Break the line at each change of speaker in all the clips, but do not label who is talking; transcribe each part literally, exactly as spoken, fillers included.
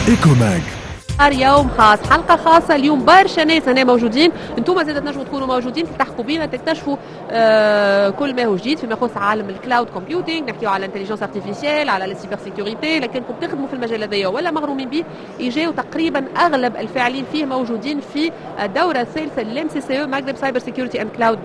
Ecomag.
يوم خاص، حلقة خاصة اليوم، برشا ناس هنا موجودين، انتم زاد تنجموا تكونوا موجودين، تلتحقوا بينا، تكتشفوا آه كل ما هو جديد فيما يخص عالم ال cloud computing. نحكيو على l'intelligence artificielle، على la cybersécurité. لكنكم تخدموا في المجال هذايا ولا مغرومين به، يجيو. تقريبا اغلب الفاعلين فيه موجودين في الدورة الثالثة لل MCCE، Maghreb Cyber Security and Cloud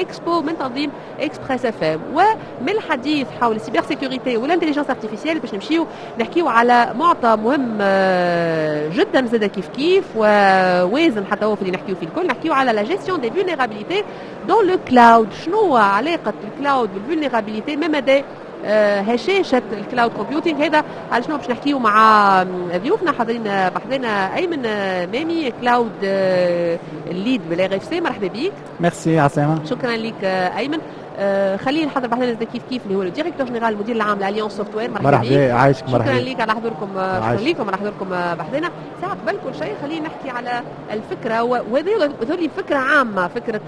Expo، من تنظيم Express FM. ومن الحديث حول ال cybersécurité و l'intelligence artificielle باش نمشيو نحكيو على معطى مهم آه، جدا زاد كيف كيف ووازن حتى هو في اللي نحكيو فيه الكل. نحكيو على la gestion des vulnérabilités dans le cloud. شنو هو علاقة ال cloud بال vulnérabilité؟ ما مدى آه، هشاشة ال cloud computing؟ هذا على شنو باش نحكيو مع ضيوفنا حاضرين بحذنا. ايمن مامي، cloud lead بال RFC، مرحبا بك.
ميرسي، عسلامة.
شكرا لك ايمن. آه، خليل حاضر بحذنا كيف كيف، اللي هو ال directeur général، المدير العام ل Alliance Software.
مرحبا. مرحبا، عايشك،
مرحبا. شكرا لك على حضوركم، شكرا لكم على حضوركم بحذنا. ساعة قبل كل شيء خلينا نحكي على الفكرة، وهذه فكرة عامة، فكرة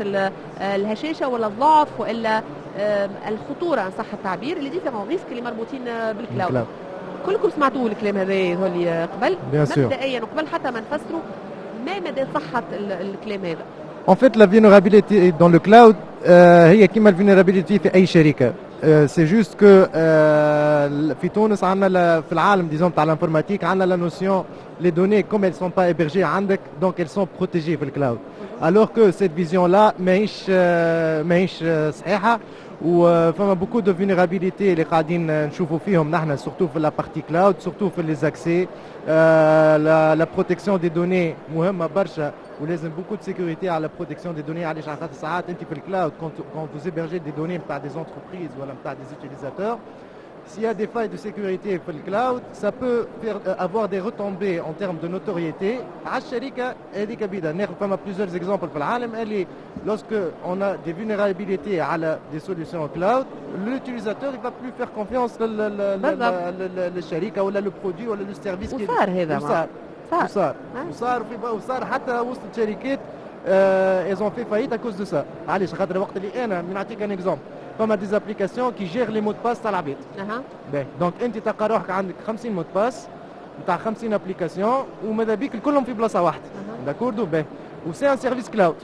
الهشاشة ولا الضعف والا الخطورة ان صح التعبير، les différents risques اللي مربوطين بال cloud. كلكم سمعتوا الكلام هذا اللي قبل. مبدئيا وقبل حتى ما نفسروا، ما مدى صحة الكلام هذا؟
En fait, la vulnérabilité dans le cloud هي كيما ال vulnérabilité في اي شركه. c'est juste que في تونس عندنا، في العالم disons تاع l'informatique، عندنا la notion les données comme elles sont pas hébergées عندك، donc elles sont protégées في ال cloud، alors que cette vision-là ماهيش ماهيش صحيحه. وفما beaucoup de vulnérabilités اللي قاعدين نشوفوا فيهم نحن، surtout في la partie cloud، surtout في les accès. la protection des données مهمة برشا ولازم beaucoup de sécurité على protection des données. علاش؟ على خاطر ساعات انت في ال cloud، quand vous hébergez des données نتاع des entreprises ولا نتاع des utilisateurs، s'il y a des failles de sécurité في ال cloud، ça peut faire, euh, avoir des retombées en termes de notoriété على الشركة هذيك بيدا. ناخذ فما plusieurs exemples في العالم اللي lorsque on a des vulnérabilités على des solutions cloud، l'utilisateur il va plus faire confiance للشركة ولا le produit ولا le service.
وصار هذا.
وصار وصار وصار وصار، حتى وصلت شركات ils ont fait faillite à cause de ça. علاش؟ خاطر وقت اللي انا نعطيك un exemple، فما des applications qui gèrent les mots de passe تاع العباد.
اها
باهي، donc انت تلقى روحك عندك خمسين mots de passe نتاع خمسين applications وماذا بيك كلهم في بلاصة واحده، d'accord؟ باهي، و c'est un service cloud،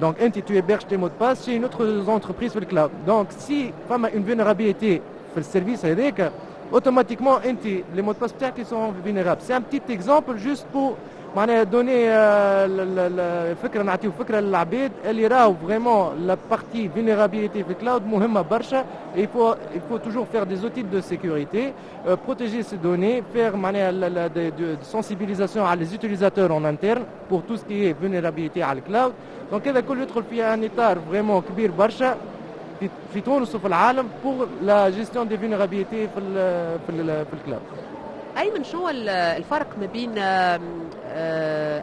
donc انت tu héberges tes mots de passe chez une autre entreprise في ال cloud. donc si فما une vulnérabilité في ال service هذاك، automatiquement انت les mots de passe بتاعك sont vulnérables. c'est un petit exemple juste pour معناها donner الفكره، نعطيو فكرة للعباد اللي راهو vraiment la partie vulnérabilité في ال cloud مهمة برشا. il faut il faut toujours faire des outils de sécurité، euh, protéger ses données، faire معناها de, de, de sensibilisation على les utilisateurs en interne pour tout ce qui est vulnérabilité على ال cloud. donc هذا كله يدخل في un اطار vraiment كبير برشا في, في تونس وفي العالم pour la gestion des vulnérabilités في ال في ال في ال cloud.
ايمن، شنو الفرق ما بين آه،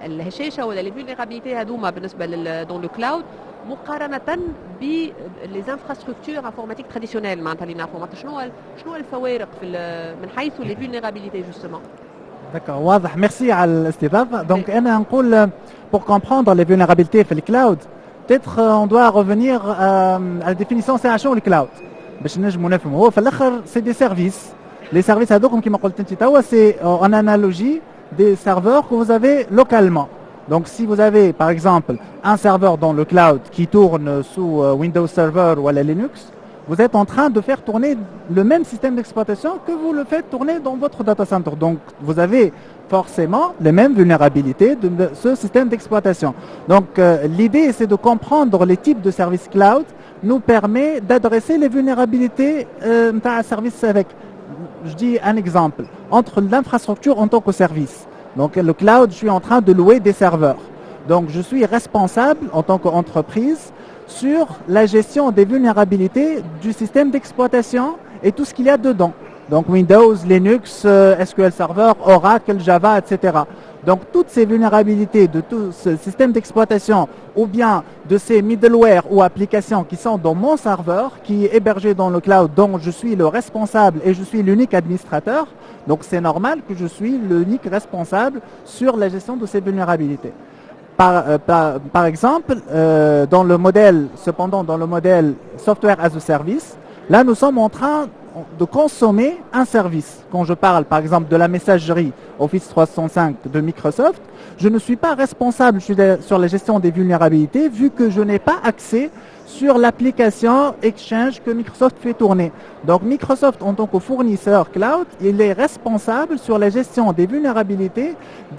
الهشاشه ولا les vulnérabilités هذوما بالنسبة dans le cloud مقارنة ب les infrastructures informatiques traditionnelles، معناتها اللي نعرفوا؟ معناتها شنو شنو الفوارق في من حيث les vulnérabilités justement؟
D'accord، واضح، ميرسي على الاستضافة. donc انا نقول pour comprendre les vulnérabilités في ال cloud، peut-être on doit revenir à la définition. c'est شنو ال cloud باش نجموا نفهموا؟ هو في الاخر c'est des services. les services هذوكم كيما قلت انت توا، c'est en analogie des serveurs que vous avez localement. Donc si vous avez par exemple un serveur dans le cloud qui tourne sous Windows Server ou à Linux, vous êtes en train de faire tourner le même système d'exploitation que vous le faites tourner dans votre data center. Donc vous avez forcément les mêmes vulnérabilités de ce système d'exploitation. Donc euh, l'idée, c'est de comprendre les types de services cloud nous permet d'adresser les vulnérabilités euh, un service avec. Je dis un exemple, entre l'infrastructure en tant que service. Donc le cloud, je suis en train de louer des serveurs. Donc je suis responsable en tant qu'entreprise sur la gestion des vulnérabilités du système d'exploitation et tout ce qu'il y a dedans. Donc Windows, Linux, euh, S Q L Server, Oracle, Java, et cetera. Donc toutes ces vulnérabilités de tout ce système d'exploitation ou bien de ces middleware ou applications qui sont dans mon serveur, qui est hébergé dans le cloud, dont je suis le responsable et je suis l'unique administrateur. Donc c'est normal que je suis l'unique responsable sur la gestion de ces vulnérabilités. Par, euh, par, par exemple, euh, dans le modèle, cependant, dans le modèle software as a service, là, nous sommes en train de consommer un service. Quand je parle par exemple de la messagerie Office trois cent soixante-cinq de Microsoft, je ne suis pas responsable sur la gestion des vulnérabilités vu que je n'ai pas accès sur l'application Exchange que Microsoft fait tourner. Donc Microsoft, en tant que fournisseur cloud, il est responsable sur la gestion des vulnérabilités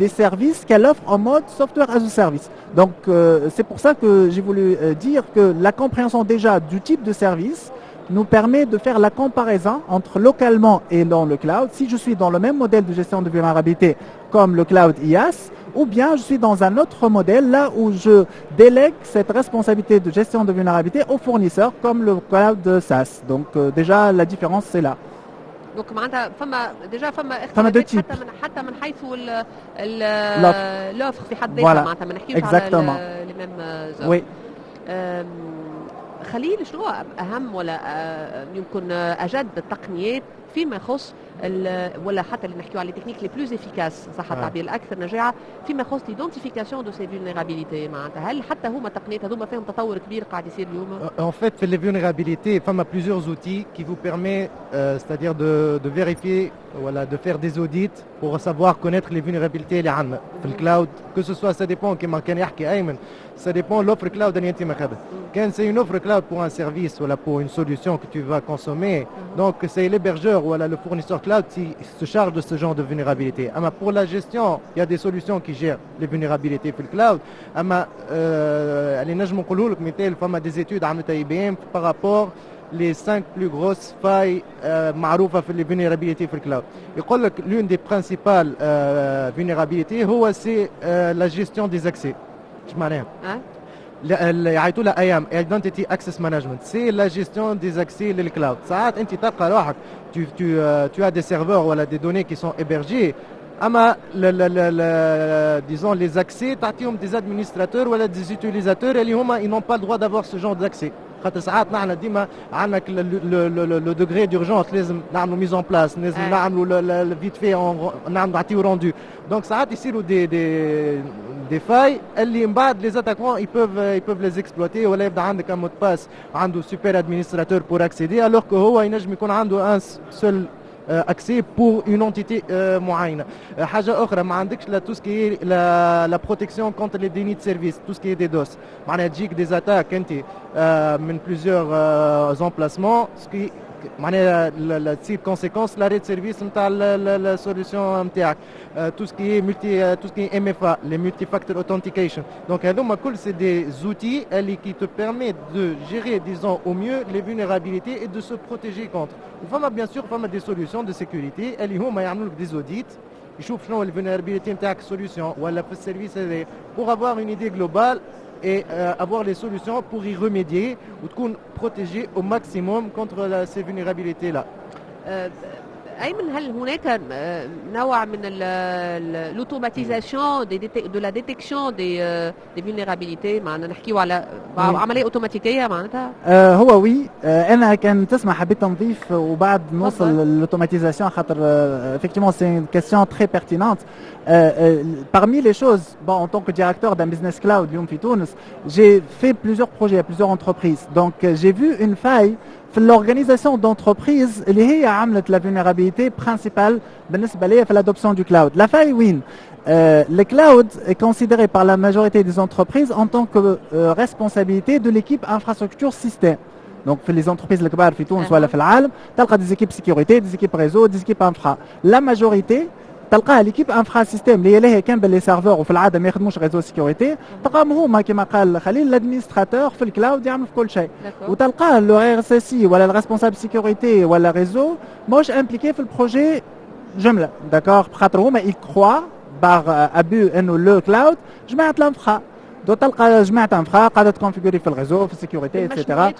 des services qu'elle offre en mode software as a service. Donc euh, c'est pour ça que j'ai voulu euh, dire que la compréhension déjà du type de service nous permet de faire la comparaison entre localement et dans le cloud. Si je suis dans le même modèle de gestion de vulnérabilité comme le cloud IaaS, ou bien je suis dans un autre modèle là où je délègue cette responsabilité de gestion de vulnérabilité aux fournisseurs comme le cloud SaaS. Donc euh, déjà la différence, c'est là.
Donc معناتها فما déjà فما
فما deux types.
حتى من حتى من حيث l'offre في حد ذاتها، معناتها ما نحكيوش على les mêmes.
oui.
خليل، شنو اهم ولا آه، يمكن اجد التقنيات فيما يخص ولا حتى اللي نحكيو على les techniques les plus efficaces، صح التعبير، الاكثر نجاعه فيما يخص l'identification de ces vulnérabilités؟ معناتها هل حتى هما التقنيات هذوما فيهم تطور كبير قاعد يصير اليوم؟
En fait, في les vulnérabilités, فما plusieurs outils qui vous permettent, euh, c'est-à-dire de, de vérifier, voilà, de faire des audits pour savoir connaître les vulnérabilités اللي عندنا في ال cloud, que ce soit, ça dépend، كما كان يحكي ايمن، ça dépend l'offre cloud اللي انت ماخذها. كان c'est une offre cloud pour un service ولا pour une solution que tu vas consommer, donc c'est l'hébergeur ou le fournisseur cloud qui se charge de ce genre de vulnérabilité. أما pour la gestion, il y a des solutions qui gèrent les vulnérabilités في ال cloud. أما اللي نجم نقوله لك مثال، فما des études عملتها I B M par rapport les cinq plus grosses failles euh, معروفة في les vulnérabilités في ال cloud. يقول لك l'une des principales euh, vulnérabilités هو c'est euh, la gestion des accès. ايش معناها؟ يعيطوا لها I A M, Identity Access Management, c'est la gestion des accès لل cloud. ساعات انت تلقى روحك tu tu tu as des serveurs ولا des données qui sont hébergées، اما disons les accès تعطيهم des administrateurs ولا des utilisateurs اللي هما ils n'ont pas le droit d'avoir ce genre d'accès. خاطر ساعات نحن ديما عندنا le degré d'urgence، لازم نعملوا mise en place، لازم نعملوا vite fait، نعملوا نعطيو rendu. Donc ساعات يصيروا des des des failles اللي من بعد les attaquants ils peuvent ils peuvent les exploiter، ولا يبدا عندك un mot de passe عنده super administrateur pour accéder, alors que هو ينجم يكون عنده un seul accès pour une entité معينه. حاجه اخرى، ما عندكش la tout ce qui est la la protection contre les dénis de service, tout ce qui est DDoS، معناها تجيك des attaques انت من plusieurs emplacements, ce qui معناها تصير conséquence l'arrêt de service نتاع ال solution نتاعك. Tout ce qui est multi tout ce qui est M F A, les multi-factor authentication, donc هذوما كل c'est des outils اللي qui te permettent de gérer, disons, au mieux les vulnérabilités et de se protéger contre. وفما bien sûr فما des solutions de sécurité اللي هما يعملوا لك des audits، يشوف شنو ال vulnérabilité نتاعك solution ولا في ال service هذا pour avoir une idée globale et euh, avoir les solutions pour y remédier وتكون protégé au maximum contre la, ces vulnérabilités-là.
ايمن، هل هناك نوع من l'automatisation de la détection des des vulnérabilités؟ معنا نحكيو على عمليه اوتوماتيكيه معناتها.
آه هو oui، آه انا كان تسمح حبيت نضيف وبعد نوصل لل automatisation، خاطر effectivement c'est une question très pertinente. Parmi les choses, bon, en tant que directeur d'un business cloud اليوم في تونس, j'ai fait plusieurs projets à plusieurs entreprises. Donc j'ai vu une faille في l'organisation d'entreprise اللي هي عملت la vulnérabilité principale بالنسبه لي في l'adoption du cloud. La faille وين؟ Euh, le cloud est considéré par la majorité des entreprises en tant que euh, responsabilité de l'équipe infrastructure système. Donc في les entreprises الكبار في تونس ولا في العالم تلقى des équipes sécurité, des équipes réseau, des équipes infra. La majorité تلقاها l'équipe infra système اللي هي كان بال les serveurs، وفي العاده ما يخدموش réseau sécurité. تلقاهم هما كما قال خليل l'administrateur في ال cloud يعمل في كل شيء، وتلقاه le R S S I ولا ال responsable sécurité ولا réseau ماهوش impliqué في ال projet جمله، d'accord؟ خاطر هما ils croient par abus انه le cloud جماعه l'infra. Donc تلقى جماعه infra قاعده ت configurer في ال réseau، في ال sécurité, et cetera،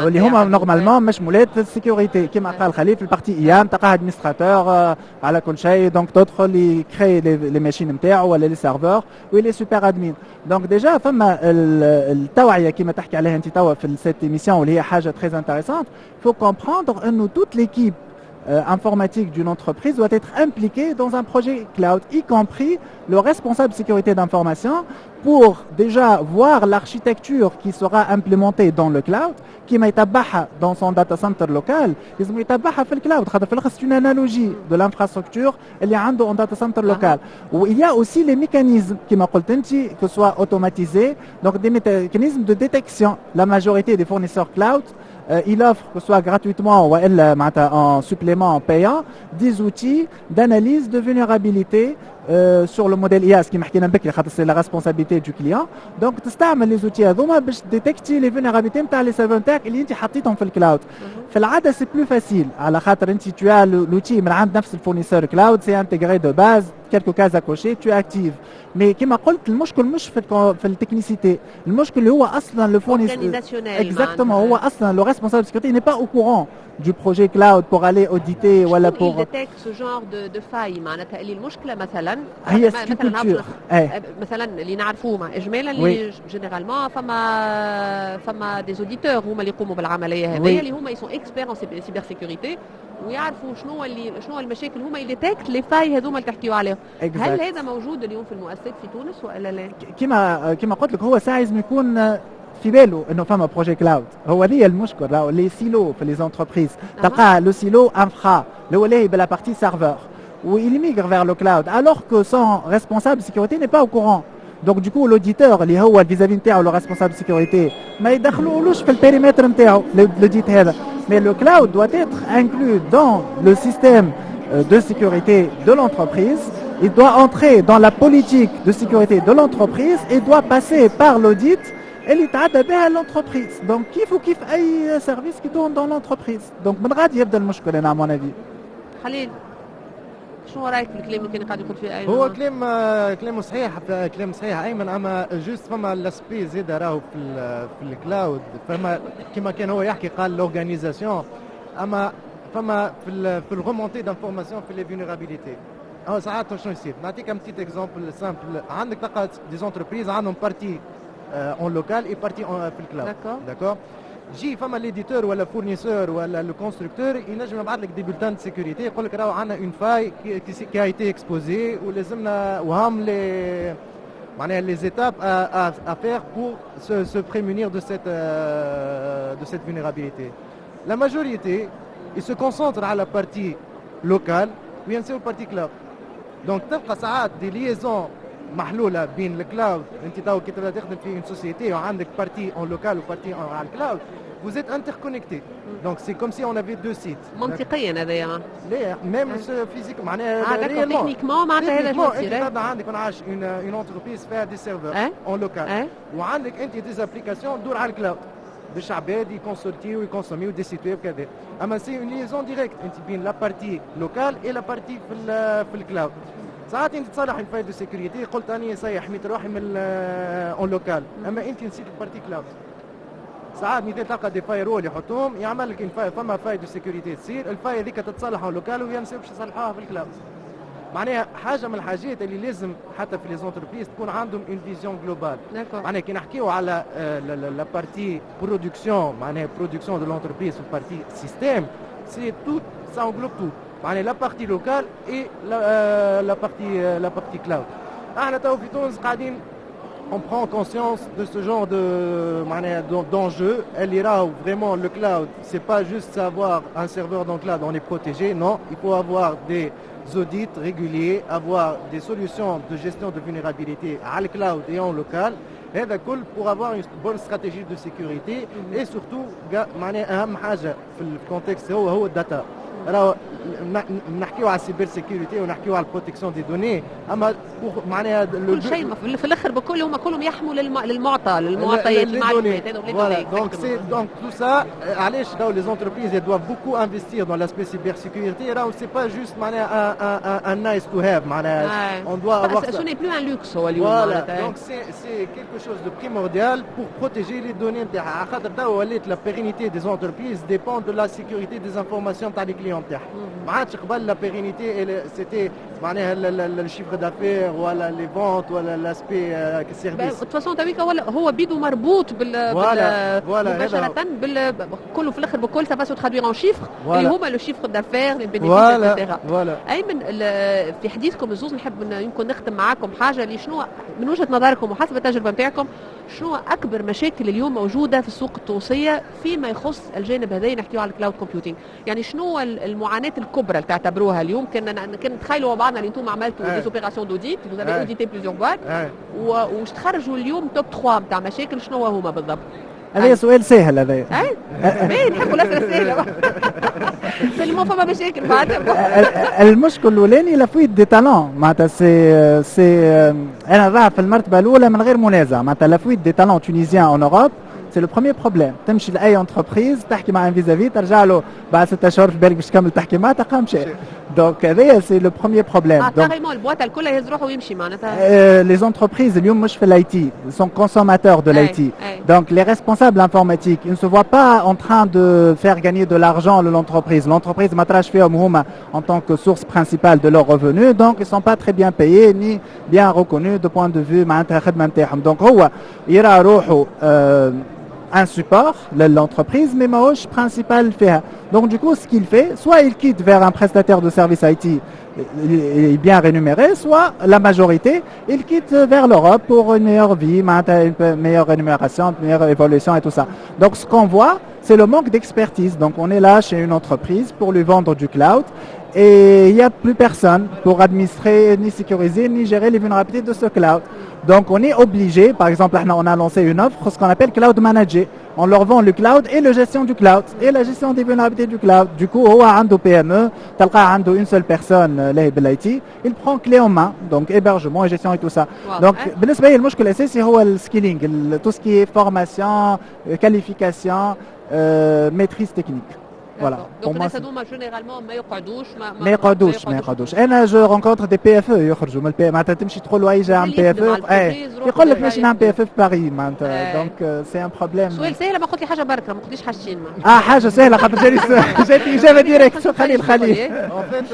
واللي هما normalement مشمولات في ال sécurité كما قال خليل في ال partie I A M. تلقاه administrateur على كل شيء، donc تدخل ي créer les machines نتاعو ولا les serveurs و les super admin. Donc déjà فما التوعيه كما تحكي عليها انت توا في cette émission، واللي هي حاجه très intéressante. Faut comprendre انه toute l'équipe euh, informatique d'une entreprise doit être impliqué dans un projet cloud, y compris le responsable de sécurité d'information, pour déjà voir l'architecture qui sera implémentée dans le cloud, كيما يتبعها dans son data center local, لازم يتبعها في ال cloud خاطر في الاخر c'est une analogie de l'infrastructure اللي عنده en data center local. و il y a aussi les mécanismes كما قلت انت que ce soit automatisé, donc des mécanismes de détection. La majorité des fournisseurs cloud, euh, il offre, que ce soit gratuitement ou en supplément payant, des outils d'analyse de vulnérabilité euh, sur le modèle IaaS كيما حكينا بكري خاطر c'est la responsabilité du client. Donc تستعمل les outils هذوما باش détecter les vulnérabilités نتاع les serveurs نتاعك اللي انت حطيتهم في ال cloud. في العاده c'est plus facile على خاطر انت tu as l'outil من عند نفس ال fournisseur cloud, c'est intégré de base, quelques cases à cocher, tu actives. Mais كما قلت المشكل مش في في ال technicité, المشكل اللي هو اصلا le fournisseur, exactement, هو اصلا le responsable sécurité n'est pas au courant du projet cloud pour aller auditer ولا pour
il détecte ce genre de, de faille معناتها اللي المشكله مثلا
هي مثلا
مثلا اللي نعرفوه مع اجمالا اللي généralement فما فما des auditeurs هما اللي يقوموا بالعمليه هذه اللي هما ils sont experts en cybersécurité ويعرفوا شنو اللي شنو المشاكل هما ils détectent les failles هذوما اللي تحكيوا عليهم. هل هذا موجود اليوم في المؤسسات في تونس والا لا؟
كما كما قلت لك هو ساعة لازم يكون في باله انه فما projet cloud. هو هذه المشكل راهو les silos في les entreprises تلقى le silo infra اللي هو لاهي ب la partie serveur و il migre vers le cloud alors que son responsable de sécurité n'est pas au courant. Donc du coup l'auditeur اللي هو vis-à-vis نتاعو le responsable de sécurité ما يدخلولوش في ال périmètre نتاعو l'audit هذا. Mais le cloud doit être inclus dans le système de sécurité de l'entreprise. Il doit entrer dans la politique de sécurité de l'entreprise et doit passer par l'audit اللي تعدى بها l'entreprise. Donc كيف وكيف اي service qui tourne dans l'entreprise. Donc من غادي يبدا المشكل انا à mon avis.
خليل شنو رايك في الكلام اللي كان قاعد يقول فيه ايمن؟
هو كلام كلامه صحيح كلام صحيح ايمن اما juste فما l'aspect زاد راهو في في ال cloud فما كما كان هو يحكي قال l'organisation اما فما في ال في ال remontée d'informations في les vulnérabilités هو ساعات شنو يصير؟ نعطيك un petit exemple simple. عندك تلقى des entreprises عندهم partie en local et partie في ال cloud.
d'accord.
d'accord, جي فما l'éditeur ولا fournisseur ولا le constructeur ينجم يبعث لك des bulletins de sécurité يقول لك راهو عندنا une faille qui a été exposée ولازمنا وهام les معناها les étapes à faire pour se, se prémunir de cette, euh, de cette vulnérabilité. La majorité, ils se concentrent à la partie locale وينساو partie cloud. Donc تلقى ساعات des liaisons محلوله بين ال cloud. انت تو كي تبدا تخدم في une société وعندك partie en local و partie على ال cloud, vous êtes interconnectés. Donc c'est comme si on avait deux sites.
منطقيا هذايا.
لا même physique معناها.
اه d'accord, techniquement معناتها هذا
شنو انت تبدا عندك ما نعرفش une une entreprise فيها des serveurs en local وعندك انت des applications تدور على ال cloud باش عباد يكونسلتيو ويكونسوميو des sites web كذا اما c'est une liaison directe انت بين la partie locale et la partie في في ال cloud. ساعات انت تصلح ال faille de sécurité قلت اني ça y est حميت روحي من en local اما انت نسيت ال partie cloud. ساعات مثال تلقى des firewalls يحطوهم يعمل لك فما faille de sécurité تصير ال faille هذيك تتصلح en local وينساو باش يصلحوها في ال cloud. معناها حاجه من الحاجات اللي لازم حتى في les entreprises تكون عندهم une vision globale. معناها كي نحكيو على la partie production معناها production de l'entreprise في partie système, c'est tout, ça englobe tout معناها la partie locale et la partie la partie cloud. احنا تو في تونس قاعدين on prend conscience de ce genre de d'enjeu. اللي راهو vraiment le cloud, c'est pas juste savoir un serveur dans le cloud, on est protégé. Non, il faut avoir des audits réguliers, avoir des solutions de gestion de vulnérabilité à le cloud et en local. هذا كل pour avoir une bonne stratégie de sécurité et surtout معناها اهم حاجه في ال contexte هو هو ال data. راهو نحكيو على ال cybersécurité ونحكيو على ال protection des données اما معناها
كل شيء في الاخر بكل هما كلهم يحموا للمعطى للمعطيات المعلومات.
Voilà, donc c'est donc tout ça علاش راهو les entreprises doivent beaucoup investir dans l'aspect cybersécurité. راهو c'est pas juste معناها un, un, un nice to have معناها
on doit avoir ce n'est plus un luxe هو اليوم.
Voilà, donc c'est c'est quelque chose de primordial pour protéger les données نتاعها خاطر توا ولات la pérennité des entreprises dépend de la sécurité des informations تاع les clients. clients نتاعها. ما عادش قبل la pérennité c'était معناها ال chiffre d'affaires ولا les ventes ولا l'aspect service.
de toute façon تويكا ولا هو بيدو مربوط بال
voilà voilà
مباشرة بال كله في الاخر بكل ça va se traduire en chiffres اللي هما le chiffre d'affaires، les bénéfices، et cetera.
voilà.
ايمن، في حديثكم الزوز نحب يمكن نختم معاكم حاجه، اللي شنو من وجهه نظركم وحسب التجربة نتاعكم شنو اكبر مشاكل اليوم موجودة في السوق التونسية فيما يخص الجانب هذا، نحكيو على ال cloud computing، يعني شنو المعاناة الكبرى اللي تعتبروها اليوم؟ كنا كان نتخيلوا مع بعضنا اللي انتم عملتوا des opérations d'audit، vous avez audité plusieurs boîtes، وش تخرجوا اليوم top ثلاثة نتاع مشاكل، شنو هما بالضبط؟
هذا سؤال سهل هذا.
اي باهي، نحبوا الاسئلة السهله، seulement فما مشاكل بعد.
المشكل الاولاني la fuite des talents، معناتها c'est c'est انا نراها في المرتبة الاولى من غير منازع، معناتها la fuite des talents tunisiens en Europe، c'est le premier problème. تمشي لاي entreprise تحكي مع un vis-à-vis، ترجع له بعد ستة اشهر في بالك باش تكمل تحكي معاه تلقاه مشى. donc هذايا c'est le premier problème.
اه carrément ال boîte الكل يهز روحه ويمشي معناتها.
les entreprises اليوم مش في l'IT، sont consommateurs de l'IT. Donc les responsables informatiques، ils ne se voient pas en train de faire gagner de l'argent à l'entreprise. L'entreprise ما تراش فيهم هما en tant que source principale de leurs revenus، donc ils sont pas très bien payés ni bien reconnus de point de vue معناتها الخدمة نتاعهم. donc هو يرى روحه un support l'entreprise mais ماهوش principal فيها. Donc du coup ce qu'il fait، soit il quitte vers un prestataire de service IT est bien rémunéré، soit la majorité، il quitte vers l'Europe pour une meilleure vie، une meilleure rémunération، une meilleure évolution et tout ça. Donc ce qu'on voit، c'est le manque d'expertise. Donc on est là chez une entreprise pour lui vendre du cloud et il n'y a plus personne pour administrer، ni sécuriser، ni gérer les vulnérabilités de ce cloud. Donc on est obligé، par exemple، on a lancé une offre، ce qu'on appelle cloud managé. On leur vend le cloud et la gestion du cloud et la gestion des vulnérabilités du cloud. Du coup، هو عنده PME، تلقاه عنده une seule personne لاهي بال IT، il prend clé en main، donc hébergement et gestion et tout ça. Donc بالنسبة لي المشكل الأساسي هو ال skilling، tout ce qui est formation، qualification، maîtrise technique.
voilà. donc الناس هذوما généralement ما يقعدوش؟
ما, ما يقعدوش، ما يقعدوش. انا je rencontre des PFE يخرجوا من ال P، معناتها تمشي تقول له اي جا PFE، يقول لك ماشي نعمل PFE في باريس معناتها. donc c'est un problème.
سؤال سهل، ما قلت لي حاجة بركه، ما قلتليش حاجتين.
اه حاجة سهله، خاطر جاني جاتني اجابه directe. خليل خليل.
en fait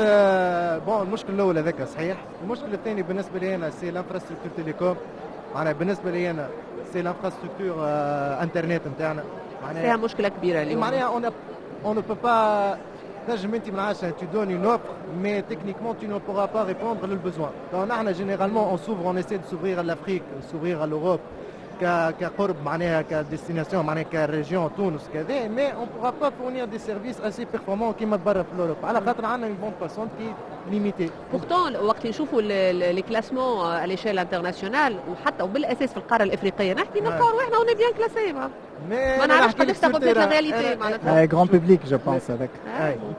bon، المشكل الاول هذاك صحيح، المشكل الثاني بالنسبة لي انا c'est l'infrastructure télécom، معناها بالنسبة لي انا c'est l'infrastructure internet نتاعنا.
معناها فيها مشكلة كبيرة اليوم.
معناها on on ne peut pas، تنجم انت من عشرة tu donnes une offre mais techniquement tu ne pourras pas répondre le besoin. donc نحن généralement on s'ouvre، on essaie de s'ouvrir à l'Afrique، s'ouvrir à l'Europe كقرب معناها ك destination، معناها ك région تونس كذا، mais on pourra pas fournir des services assez performants كيما برا في l'Europe على خاطر عندنا une bande passante qui est limitée.
pourtant وقت نشوفوا les classements à l'échelle internationale وحتى وبالاساس في القارة الافريقية نحكي، نلقاو رواحنا on est bien classés. ما نعرفش قداش تاخذ la réalité
معناتها. grand public je pense هذاك.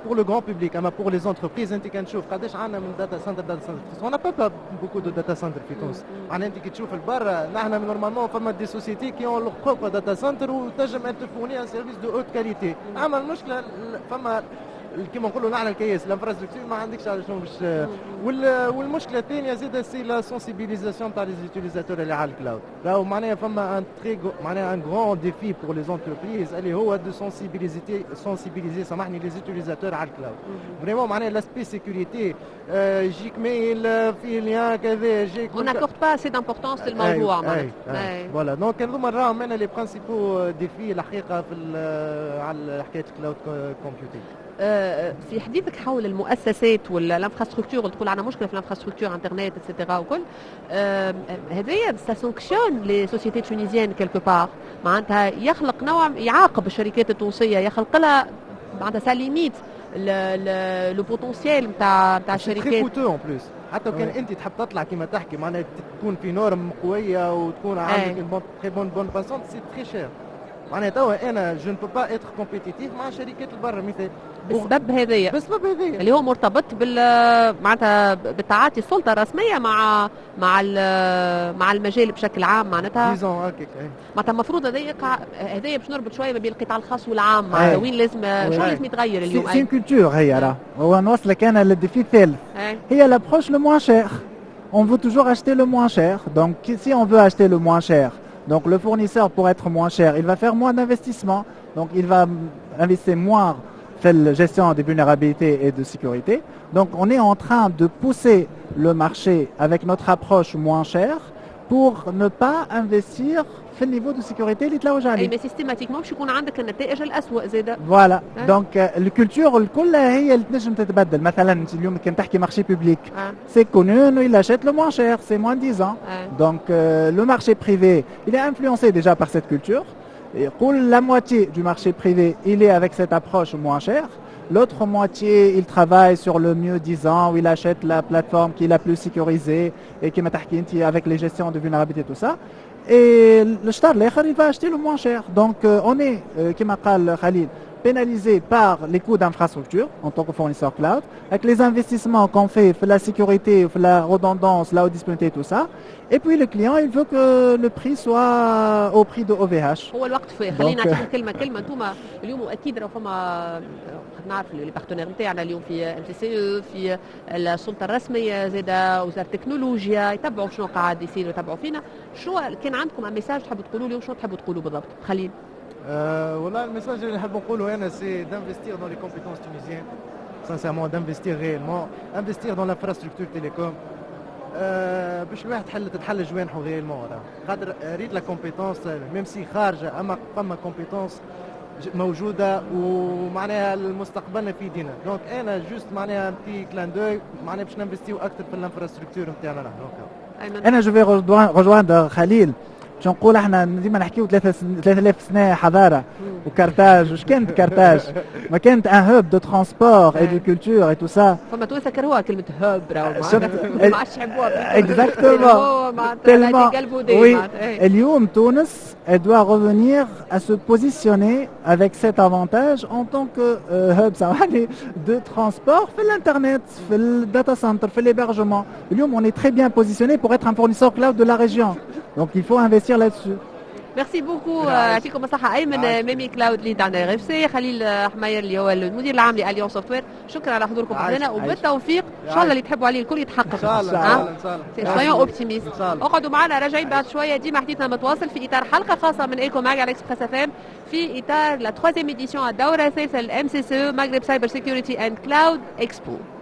pour le grand public، اما pour les entreprises، انت كان تشوف قداش عندنا من data center، data center، on n'a pas beaucoup de data centers في تونس. معناها انت كي تشوف البرا، نحن normalement فما des sociétés qui ont leur propre data center وتنجم ان fournir un service de haute qualité. اما المشكلة فما كيما نقولوا نحن الكياس، l'infrastructure ما عندكش على شنو باش. والمشكلة الثانية زاد c'est la sensibilisation تاع les utilisateurs اللي على ال cloud. راهو معناها فما un très معناها un grand défi pour les entreprises اللي هو de sensibiliser sensibiliser سامحني les utilisateurs على ال cloud. vraiment معناها l'aspect sécurité، يجيك mail فيه lien كذا يجيك
on n'accorde pas assez d'importance للموضوع.
معناتها voilà، donc هذوما راهم انا les principaux défis الحقيقة في على حكاية ال cloud computing.
آه، في حديثك حول المؤسسات ولا l'infrastructure، تقول عندنا مشكلة في l'infrastructure internet et cetera وكل هذايا، ça sanctionne les sociétés tunisiennes quelque part، معناتها يخلق نوع يعاقب الشركات التونسيه، يخلق لها معناتها ça limite le potentiel نتاع نتاع الشركات.
très coûteux en plus، حتى كان انت تحب تطلع كما تحكي معناها تكون في norme قوية وتكون عندك une très bonne bande passante، c'est très cher. معناها توا انا je ne peux pas être compétitif مع شركات البر مثال.
بسبب هذايا.
بسبب هذايا.
اللي هو مرتبط بال معناتها بالتعاطي السلطة الرسمية مع مع مع المجال بشكل عام معناتها.
disons هكاك.
معناتها المفروض هذا يقع، هذايا باش نربط شوية ما بين القطاع الخاص والعام، معناتها وين لازم شو لازم يتغير اليوم؟
c'est une culture هي. راه هو نوصلك انا لل défi الثالث، هي l'approche le moins cher. on veut toujours acheter le moins cher. donc si on veut acheter le moins cher، donc le fournisseur pour être moins cher، il va faire moins d'investissement. Donc il va investir moins في la gestion des vulnérabilités et de sécurité. Donc on est en train de pousser le marché avec notre approche moins chère pour ne pas investir في ال niveau de sécurité اللي تلوج عليه.
اي mais systématiquement باش يكون عندك النتائج الاسوء زاده.
voilà، donc ال culture الكل هي اللي تنجم تتبدل. مثلا انت اليوم كان تحكي marché public، c'est connu انه il achète le moins cher، c'est moins disant. Donc le marché privé، il est influencé déjà par cette culture. يقول la moitié du marché privé، il est avec cette approche moins chère. L'autre moitié، il travaille sur le mieux disant، où il achète la plateforme qui est la plus sécurisée et qui avec les gestions de vulnérabilité، tout ça. Et الشطر الاخر، il va acheter le moins cher. Donc euh, on est، euh, كما قال Khalil، pénalisé par les coûts d'infrastructure en tant que fournisseur cloud، avec les investissements qu'on fait، في la sécurité، في la redondance، la haute disponibilité، tout ça. Et puis le client، il veut que le prix soit au prix de O V H.
هو الوقت في خلينا نعطيكم كلمة كلمه. انتم اليوم اكيد راه فما، نعرف les partenaires نتاعنا اليوم في MCCE، في السلطة الرسميه، زاد وزارة التكنولوجيا، يتبعوا شنو قاعد يصير ويتبعوا فينا. شو كان عندكم message تحبوا تقولوا اليوم؟ شنو تحبوا تقولوا بالضبط خليل؟
أه والله ال message اللي نحب نقوله انا، c'est d'investir dans les compétences tunisiennes، sincèrement، d'investir réellement، investir dans l'infrastructure télécom، أه باش الواحد تحل تتحل جوانحه réellement. خاطر ريت la compétence، même si خارجه، اما فما compétences موجودة ومعناها المستقبل في يدينا. donc انا juste معناها petit clin d'œil، معناها باش ننفستيو اكثر في ال infrastructure نتاعنا
نحن. انا je vais rejoindre خليل. باش نقول احنا ديما نحكيو ثلاثة آلاف سنة حضارة وكارتاج. واش كانت كارتاج؟ ما كانت un hub de transport et de culture et tout ça.
فما توانسة كرهوها كلمة hub، راهو ما عادش يحبوها.
exactement، oui. اليوم تونس، elle doit revenir à se positionner avec cet avantage en tant que euh, hub de transport في l'internet، في ال data center، في l'hébergement. اليوم on est très bien positionné pour être un fournisseur cloud de la région. Donc il faut investir là-dessus.
merci beaucoup، يعطيكم الصحة. أيمن ميمي، cloud lead عند R F C، خليل حماير اللي هو المدير العام ل Alliance Software، شكرا على حضوركم معنا وبالتوفيق ان شاء الله، اللي تحبوا عليه الكل يتحقق.
ان شاء الله، ان شاء
الله. soyons optimistes. اقعدوا معنا، راجعين بعد شوية. ديما حديثنا متواصل في اطار حلقة خاصة من Eco Mag على Express FM، في اطار la troisième édition، الدورة الثالثة، ال MCCE، Maghreb Cyber Security and Cloud Expo.